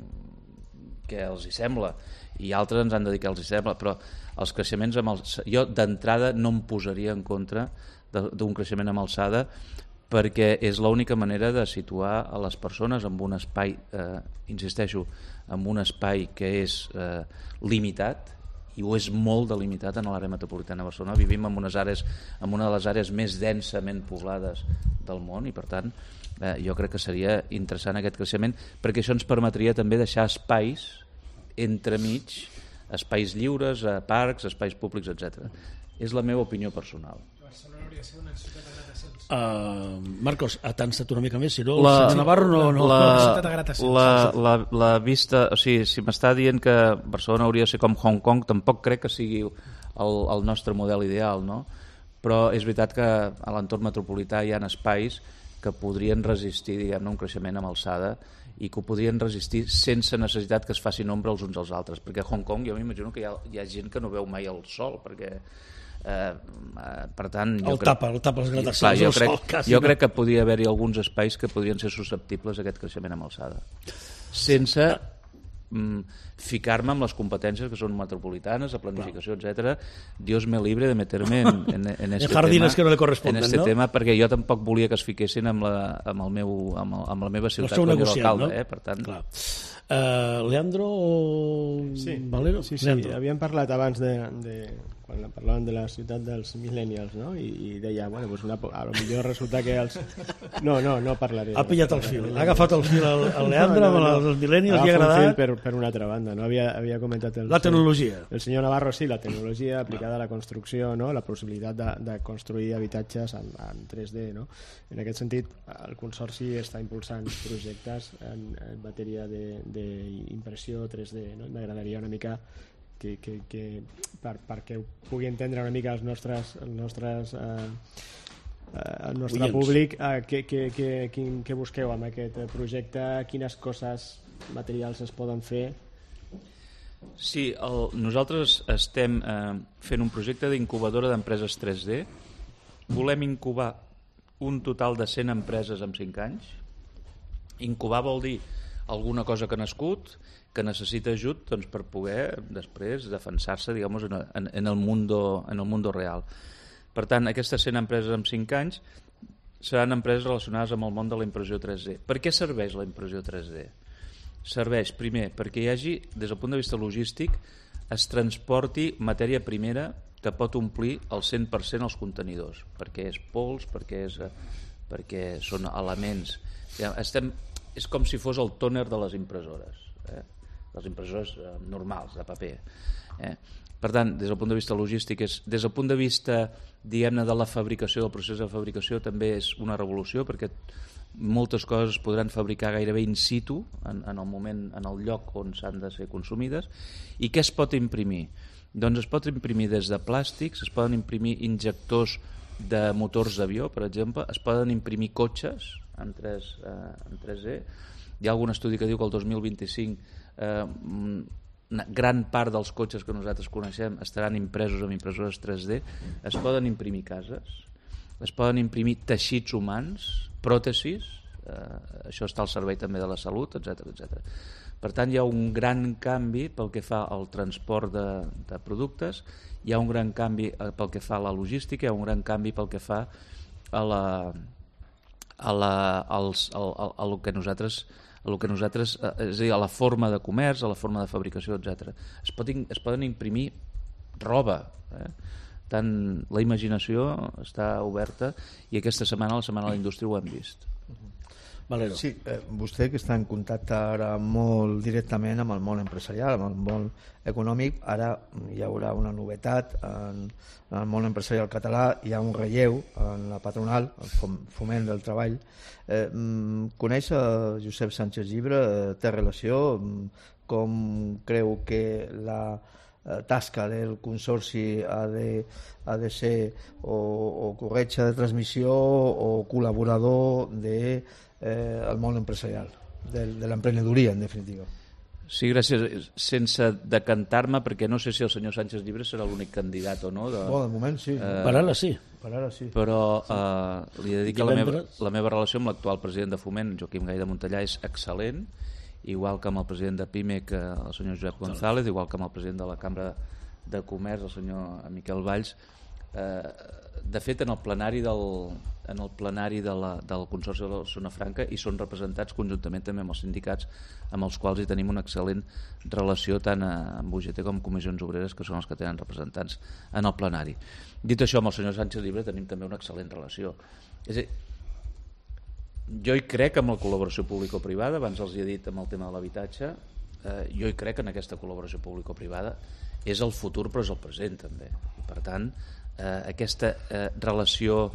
què els hi sembla i altres ens han de dir què els hi sembla, però els creixements jo d'entrada no em posaria en contra d'un creixement amb alçada perquè és l'única manera de situar a les persones en un espai, insisteixo, en un espai que és limitat i ho és molt delimitat en l'àrea metropolitana de Barcelona. Vivim en una de les àrees més densament poblades del món i per tant jo crec que seria interessant aquest creixement perquè això ens permetria també deixar espais entremig, espais lliures, parcs, espais públics, etc. És la meva opinió personal. Barcelona hauria de ser una ciutat de gratacions. Marcos, t'ansat una mica més, si no el senyor Navarro no. La vista, o sigui, si m'està dient que Barcelona hauria de ser com Hong Kong, tampoc crec que sigui el nostre model ideal, no? Però és veritat que a l'entorn metropolità hi ha espais que podrien resistir, diguem-ne, un creixement amb alçada i que ho podrien resistir sense necessitat que es facin ombra els uns als altres, perquè a Hong Kong jo m'imagino que hi ha gent que no veu mai el sol, perquè per tant el tapa les gratacions. Jo crec que podria haver-hi alguns espais que podrien ser susceptibles a aquest creixement amb alçada sense ficar-me amb les competències que són metropolitanes, de planificació, etc. Dios me libre de meterme en este jardines que no le corresponden, en este tema, perquè jo tampoc volia que es fiquessin amb la meva ciutat com a alcalde, per tant. Leandro o Valero? Sí, havíem parlat abans quan parlàvem de la ciutat dels millennials, no? I deia, bueno, pues a lo millor resulta que els... No parlaré. Ha pillat el fil, ha agafat el fil el Leandro amb els millennials, li ha agradat. Per una altra banda, no? Havia comentat la tecnologia. El senyor Navarro, sí, la tecnologia aplicada a la construcció, no? La possibilitat de construir habitatges en 3D, no? En aquest sentit, el Consorci està impulsant projectes en matèria d'impressió 3D, no? M'agradaria una mica perquè ho pugui entendre una mica el nostre públic, què busqueu amb aquest projecte, quines coses materials es poden fer? Sí, nosaltres estem fent un projecte d'incubadora d'empreses 3D. Volem incubar un total de 100 empreses en 5 anys. Incubar vol dir alguna cosa que ha nascut, que necessita ajut doncs, per poder després defensar-se, diguem-nos, en el mundo real. Per tant, aquestes 100 empreses en 5 anys seran empreses relacionades amb el món de la impressió 3D. Per què serveix la impressió 3D? Serveix, primer, perquè hi hagi, des del punt de vista logístic, es transporti matèria primera que pot omplir el 100% els contenidors, perquè és pols, perquè són elements És com si fos el tòner de les impressores, les impressores normals, de paper. Per tant, des del punt de vista logístic, des del punt de vista, diguem-ne, de la fabricació, del procés de fabricació, també és una revolució, perquè moltes coses es podran fabricar gairebé in situ, en el moment, en el lloc on s'han de ser consumides. I què es pot imprimir? Doncs es pot imprimir des de plàstics, es poden imprimir injectors de motors d'avió, per exemple, es poden imprimir cotxes en 3D. Hi ha algun estudi que diu que el 2025 una gran part dels cotxes que nosaltres coneixem estaran impresos amb impressores 3D. Es poden imprimir cases, es poden imprimir teixits humans, pròtesis, això està al servei també de la salut, etc. Per tant, hi ha un gran canvi pel que fa al transport de productes, hi ha un gran canvi pel que fa a la logística, hi ha un gran canvi pel que fa a lo que nosaltres, és a dir, a la forma de comerç, a la forma de fabricació, etc. Es poden imprimir roba, tant la imaginació està oberta, i aquesta setmana, la Setmana de la Indústria, ho hem vist. Valero. Sí, vostè que està en contacte ara molt directament amb el món empresarial, amb el món econòmic, ara hi haurà una novetat en el món empresarial català, hi ha un relleu en la patronal, el Foment del Treball. Coneix Josep Sánchez Llibre? Té relació? Com creu que la tasca del consorci ha de ser o corretja de transmissió o col·laborador del món empresarial, de l'emprenedoria, en definitiva? Sí, gràcies. Sense decantar-me, perquè no sé si el senyor Sánchez Llibre serà l'únic candidat o no. De moment sí. Per ara sí. Però li he de dir que la meva relació amb l'actual president de Foment, Joaquim Gai de Montellà, és excel·lent, igual que amb el president de PIMEC, el senyor Josep González, igual que amb el president de la Cambra de Comerç, el senyor Miquel Valls. De fet, en el plenari del Consorci de la Zona Franca hi són representats conjuntament també amb els sindicats, amb els quals hi tenim una excel·lent relació tant amb UGT com amb Comissions Obreres, que són els que tenen representants en el plenari. Dit això, amb el senyor Sánchez Llibre tenim també una excel·lent relació. És a dir, jo hi crec en la col·laboració público-privada, abans els hi he dit amb el tema de l'habitatge, jo hi crec en aquesta col·laboració público-privada, és el futur però és el present també, i per tant aquesta relació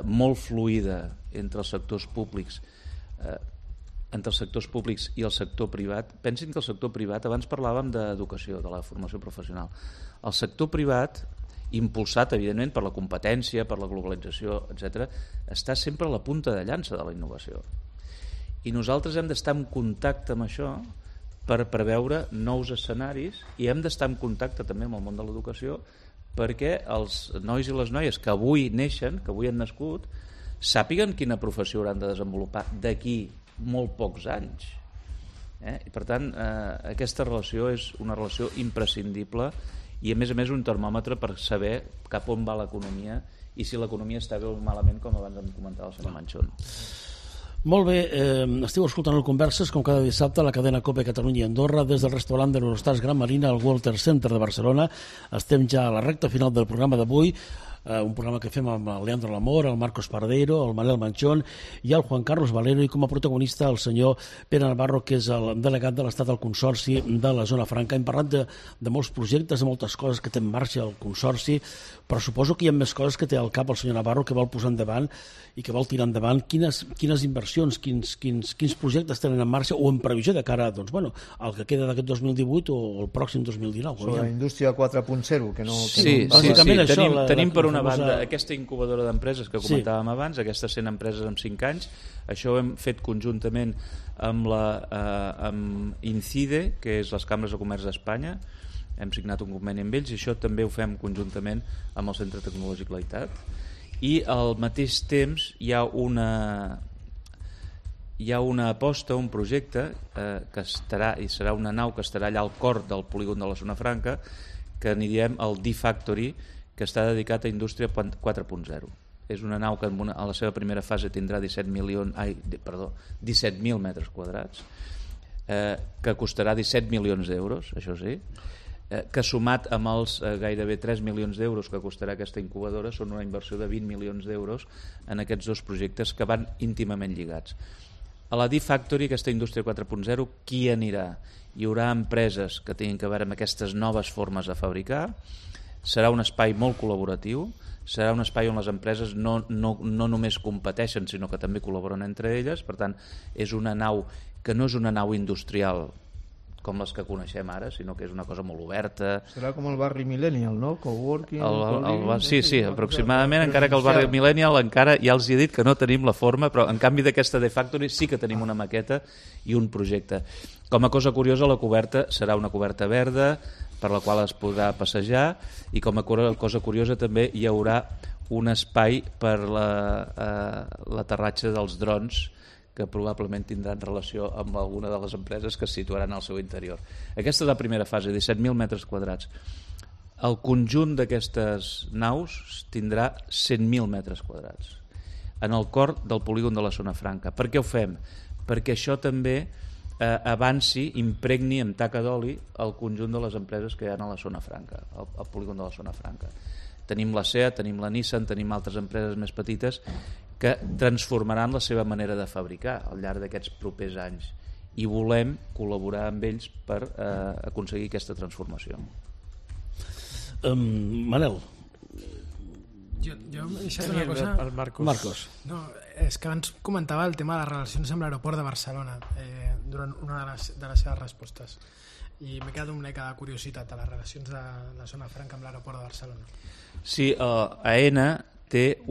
molt fluida entre els sectors públics i el sector privat. Pensin que el sector privat, abans parlàvem d'educació, de la formació professional, el sector privat, impulsat evidentment per la competència, per la globalització, etc., està sempre a la punta de llança de la innovació, i nosaltres hem d'estar en contacte amb això per preveure nous escenaris, i hem d'estar en contacte també amb el món de l'educació perquè els nois i les noies que avui neixen, que avui han nascut, sàpiguen quina professió hauran de desenvolupar d'aquí molt pocs anys. I per tant, aquesta relació és una relació imprescindible, i a més un termòmetre per saber cap on va l'economia i si l'economia està bé o malament, com abans em comentava el senyor Manchón. Molt bé, esteu escoltant el Converses com cada dissabte a la cadena COPE Catalunya i Andorra des del restaurant de l'Eurostars Gran Marina al Walter Center de Barcelona. Estem ja a la recta final del programa d'avui, un programa que fem amb el Leandro Lamor, el Marcos Pardeiro, el Manel Manchón i el Juan Carlos Valero, i com a protagonista el senyor Pere Navarro, que és el delegat de l'Estat del Consorci de la Zona Franca. Hem parlat de molts projectes, de moltes coses que té en marxa el Consorci, però suposo que hi ha més coses que té al cap el senyor Navarro, que vol posar endavant i que vol tirar endavant. Quines inversions, quins projectes tenen en marxa o en previsió de cara al que queda d'aquest 2018 o el pròxim 2019? Sobre la indústria 4.0, que no... Sí. Tenim per una banda aquesta incubadora d'empreses que comentàvem abans, aquestes 100 empreses en 5 anys. Això ho hem fet conjuntament amb Incide, que és les cambres de comerç d'Espanya. Hem signat un conveni amb ells, i això també ho fem conjuntament amb el Centre Tecnològic Laitat. I al mateix temps hi ha una aposta, un projecte que serà una nau que estarà allà al cor del polígon de la Zona Franca, que n'hi diem el D-Factory, que està dedicat a indústria 4.0. És una nau que a la seva primera fase tindrà 17.000 metres quadrats, que costarà 17 milions d'euros, això sí, que sumat amb els gairebé 3 milions d'euros que costarà aquesta incubadora són una inversió de 20 milions d'euros en aquests dos projectes que van íntimament lligats. A la D-Factory, aquesta indústria 4.0, qui anirà? Hi haurà empreses que tinguin que veure amb aquestes noves formes de fabricar, serà un espai molt col·laboratiu, serà un espai on les empreses no només competeixen, sinó que també col·laboren entre elles. Per tant, és una nau que no és una nau industrial com les que coneixem ara, sinó que és una cosa molt oberta. Serà com el barri Millennial, no? Coworking... Sí, aproximadament, encara que el barri Millennial encara ja els he dit que no tenim la forma, però en canvi d'aquesta D-Factory sí que tenim una maqueta i un projecte. Com a cosa curiosa, la coberta serà una coberta verda per la qual es podrà passejar, i com a cosa curiosa també hi haurà un espai per l'aterratge dels drons, que probablement tindran relació amb alguna de les empreses que es situaran al seu interior. Aquesta és la primera fase, 17.000 metres quadrats. El conjunt d'aquestes naus tindrà 100.000 metres quadrats en el cor del polígon de la Zona Franca. Per què ho fem? Perquè això també avanci, impregni amb taca d'oli el conjunt de les empreses que hi ha a la Zona Franca, al polígon de la Zona Franca. Tenim la SEAT, tenim la Nissan, tenim altres empreses més petites que transformaran la seva manera de fabricar al llarg d'aquests propers anys, i volem col·laborar amb ells per aconseguir aquesta transformació. Manel. Jo he deixat una cosa... El Marcos. No, és que abans comentava el tema de les relacions amb l'aeroport de Barcelona durant una de les seves respostes, i m'he quedat una mica de curiositat a les relacions de la Zona Franca amb l'aeroport de Barcelona. Sí, AENA té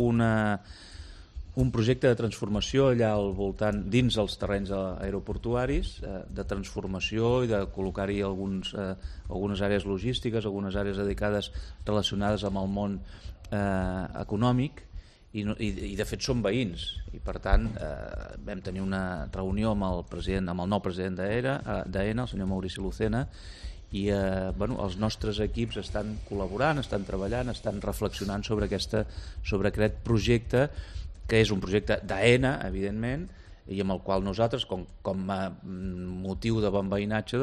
un projecte de transformació allà al voltant, dins els terrenys aeroportuaris, de transformació i de col·locar-hi algunes àrees logístiques, algunes àrees dedicades relacionades amb el món econòmic, i de fet són veïns, i per tant vam tenir una reunió amb el nou president d'AENA, el senyor Maurici Lucena, i els nostres equips estan col·laborant, estan treballant, estan reflexionant sobre aquest projecte, que és un projecte d'AENA, evidentment, i amb el qual nosaltres, com a motiu de bon veïnatge,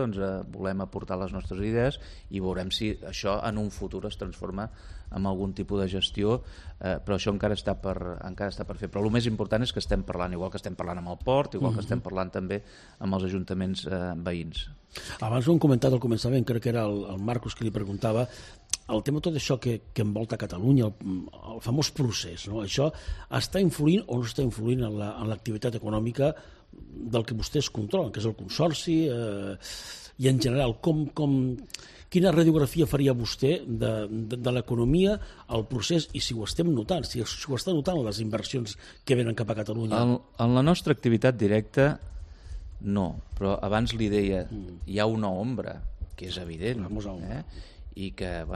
volem aportar les nostres idees, i veurem si això en un futur es transforma en algun tipus de gestió, però això encara està per fer. Però el més important és que estem parlant, igual que estem parlant amb el port, igual que estem parlant també amb els ajuntaments veïns. Abans ho hem comentat al començament, crec que era el Marcos que li preguntava, el tema tot això que envolta Catalunya, el famós procés, no? Això està influint o no està influint en l'activitat econòmica del que vostès controlen, que és el consorci, i en general, quina radiografia faria vostè de l'economia, el procés, i si ho estem notant, si ho està notant les inversions que venen cap a Catalunya? En la nostra activitat directa, no, però abans li deia, hi ha una ombra, que és evident, i que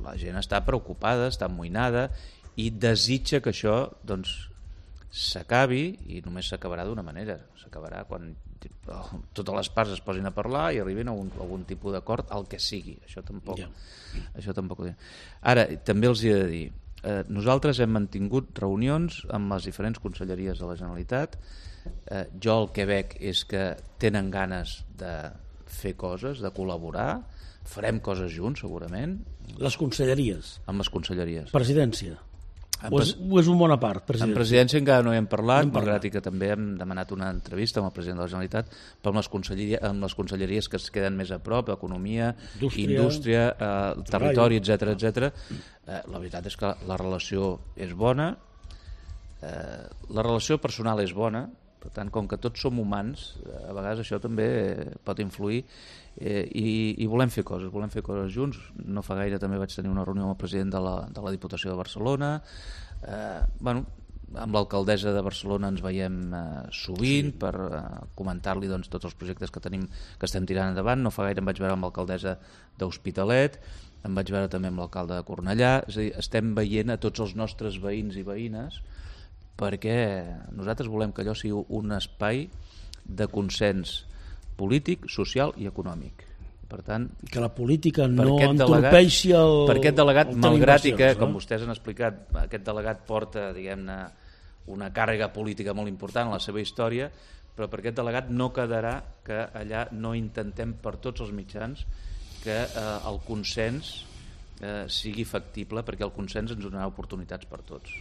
la gent està preocupada, està amoïnada, i desitja que això s'acabi, i només s'acabarà d'una manera, s'acabarà quan totes les parts es posin a parlar i arribin a algun tipus d'acord, el que sigui. Això tampoc ho diré. Ara, també els he de dir, nosaltres hem mantingut reunions amb les diferents conselleries de la Generalitat. Jo el que veig és que tenen ganes de fer coses, de col·laborar, farem coses junts segurament. Les conselleries? Amb les conselleries. Presidència? O és un bona part? En presidència encara no hi hem parlat, malgrat que també hem demanat una entrevista amb el president de la Generalitat, però amb les conselleries que es queden més a prop, economia, indústria, territori, etc. La veritat és que la relació és bona, la relació personal és bona, per tant, com que tots som humans, a vegades això també pot influir, i volem fer coses junts. No fa gaire també vaig tenir una reunió amb el president de la Diputació de Barcelona, amb l'alcaldessa de Barcelona ens veiem sovint per comentar-li tots els projectes que estem tirant endavant. No fa gaire em vaig veure amb l'alcaldessa d'Hospitalet, em vaig veure també amb l'alcalde de Cornellà. És a dir, estem veient a tots els nostres veïns i veïnes, perquè nosaltres volem que allò sigui un espai de consens polític, social i econòmic. Per tant, que la política no entorpeixi per aquest delegat, malgrat que, com vostès han explicat, aquest delegat porta, diguem-ne, una càrrega política molt important en la seva història, però per aquest delegat no quedarà que allà no intentem per tots els mitjans que el consens sigui factible, perquè el consens ens donarà oportunitats per tots.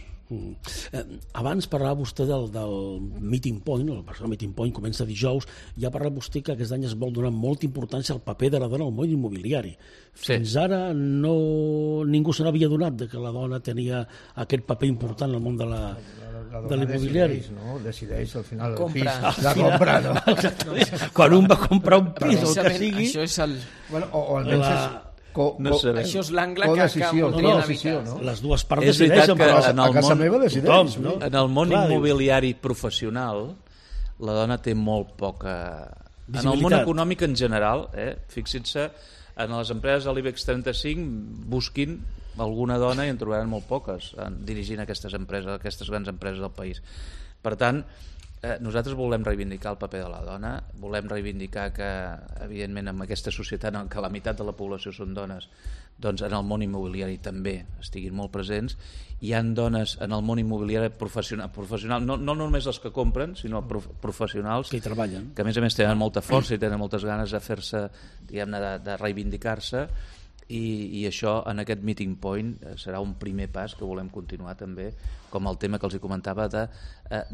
Abans parlava vostè del Meeting Point, el Barcelona Meeting Point comença dijous, ja ha parlat vostè que aquest any es vol donar molta importància al paper de la dona al món immobiliari. Fins ara ningú se n'havia donat que la dona tenia aquest paper important al món de l'immobiliari. Decideix al final el Compra. pis, la compra, no? Quan un va comprar un pis o el que sigui... Això és el... O almenys No sé. Això és l'angle que voldrien evitar. no? Les dues parts És veritat decideixen, que però en el a casa món- meva decideix. tothom, no? En el món Clar, immobiliari professional, la dona té molt poca... En el món Visibilitat. econòmic en general, fixin-se, en les empreses de l'IBEX 35 busquin alguna dona i en trobaran molt poques dirigint aquestes empreses, aquestes grans empreses del país. Per tant, nosaltres volem reivindicar el paper de la dona, volem reivindicar que, evidentment, en aquesta societat en què la meitat de la població són dones, doncs en el món immobiliari també estiguin molt presents. Hi han dones en el món immobiliari professional, no només les que compren, sinó professionals que hi treballen. que a més tenen molta força i tenen moltes ganes de fer-se, diguem-ne, de reivindicar-se, i això en aquest Meeting Point serà un primer pas que volem continuar també, com el tema que els comentava de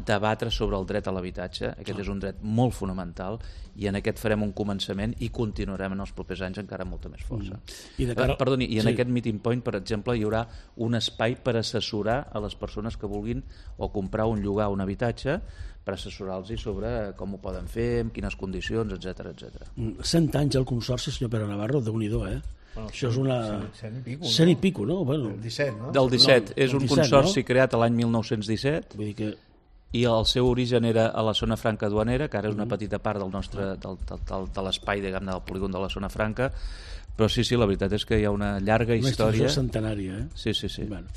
debatre sobre el dret a l'habitatge. Aquest és un dret molt fonamental i en aquest farem un començament i continuarem en els propers anys encara amb molta més força. Perdoni, i en aquest Meeting Point, per exemple, hi haurà un espai per assessorar a les persones que vulguin o comprar o llogar un habitatge, per assessorar-los sobre com ho poden fer, en quines condicions, etc etc. 100 anys al Consorci, senyor Pere Navarro, Déu-n'hi-do, Bueno, això és una... 100 i pico, no? Bueno, el 17, no? Del 17. És un 17, consorci creat l'any 1917 vull dir que... i el seu origen era a la zona franca duanera, que ara és una petita part del nostre de l'espai, diguem-ne, del polígon de la zona franca, però sí, la veritat és que hi ha una llarga història. Una centenària, Sí. Bueno.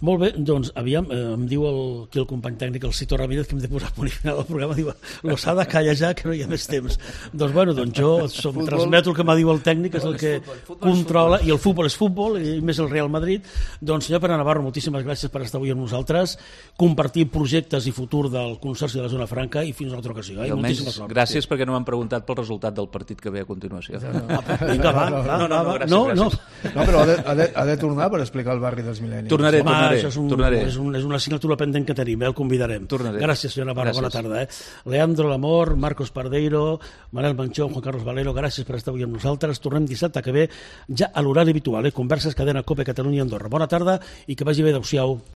Molt bé, doncs, aviam, em diu aquí el company tècnic, el Cito Ramírez, que hem de posar punt final al programa, diu, Losada, calla ja, que no hi ha més temps. Doncs, bueno, jo transmeto el que m'ha dit el tècnic, és el que controla, i el futbol és futbol, i més el Real Madrid. Doncs, senyor Pere Navarro, moltíssimes gràcies per estar avui amb nosaltres, compartir projectes i futur del Consorci de la Zona Franca, i fins a una altra ocasió. I almenys, gràcies perquè no m'han preguntat pel resultat del partit que ve a continuació. Vinga, va. Gràcies. No, però ha de tornar per explicar el barri dels mil·lennis. Tornaré. Això és una assignatura pendent que tenim, el convidarem. Tornaré. Gràcies, senyor Navarro, bona tarda. Leandro Lamor, Marcos Pardeiro, Manel Manchón, Juan Carlos Valero, gràcies per estar avui amb nosaltres. Tornem dissabte que ve, ja a l'horari habitual, Converses, Cadena Cope, Catalunya i Andorra. Bona tarda i que vagi bé, adéu-siau.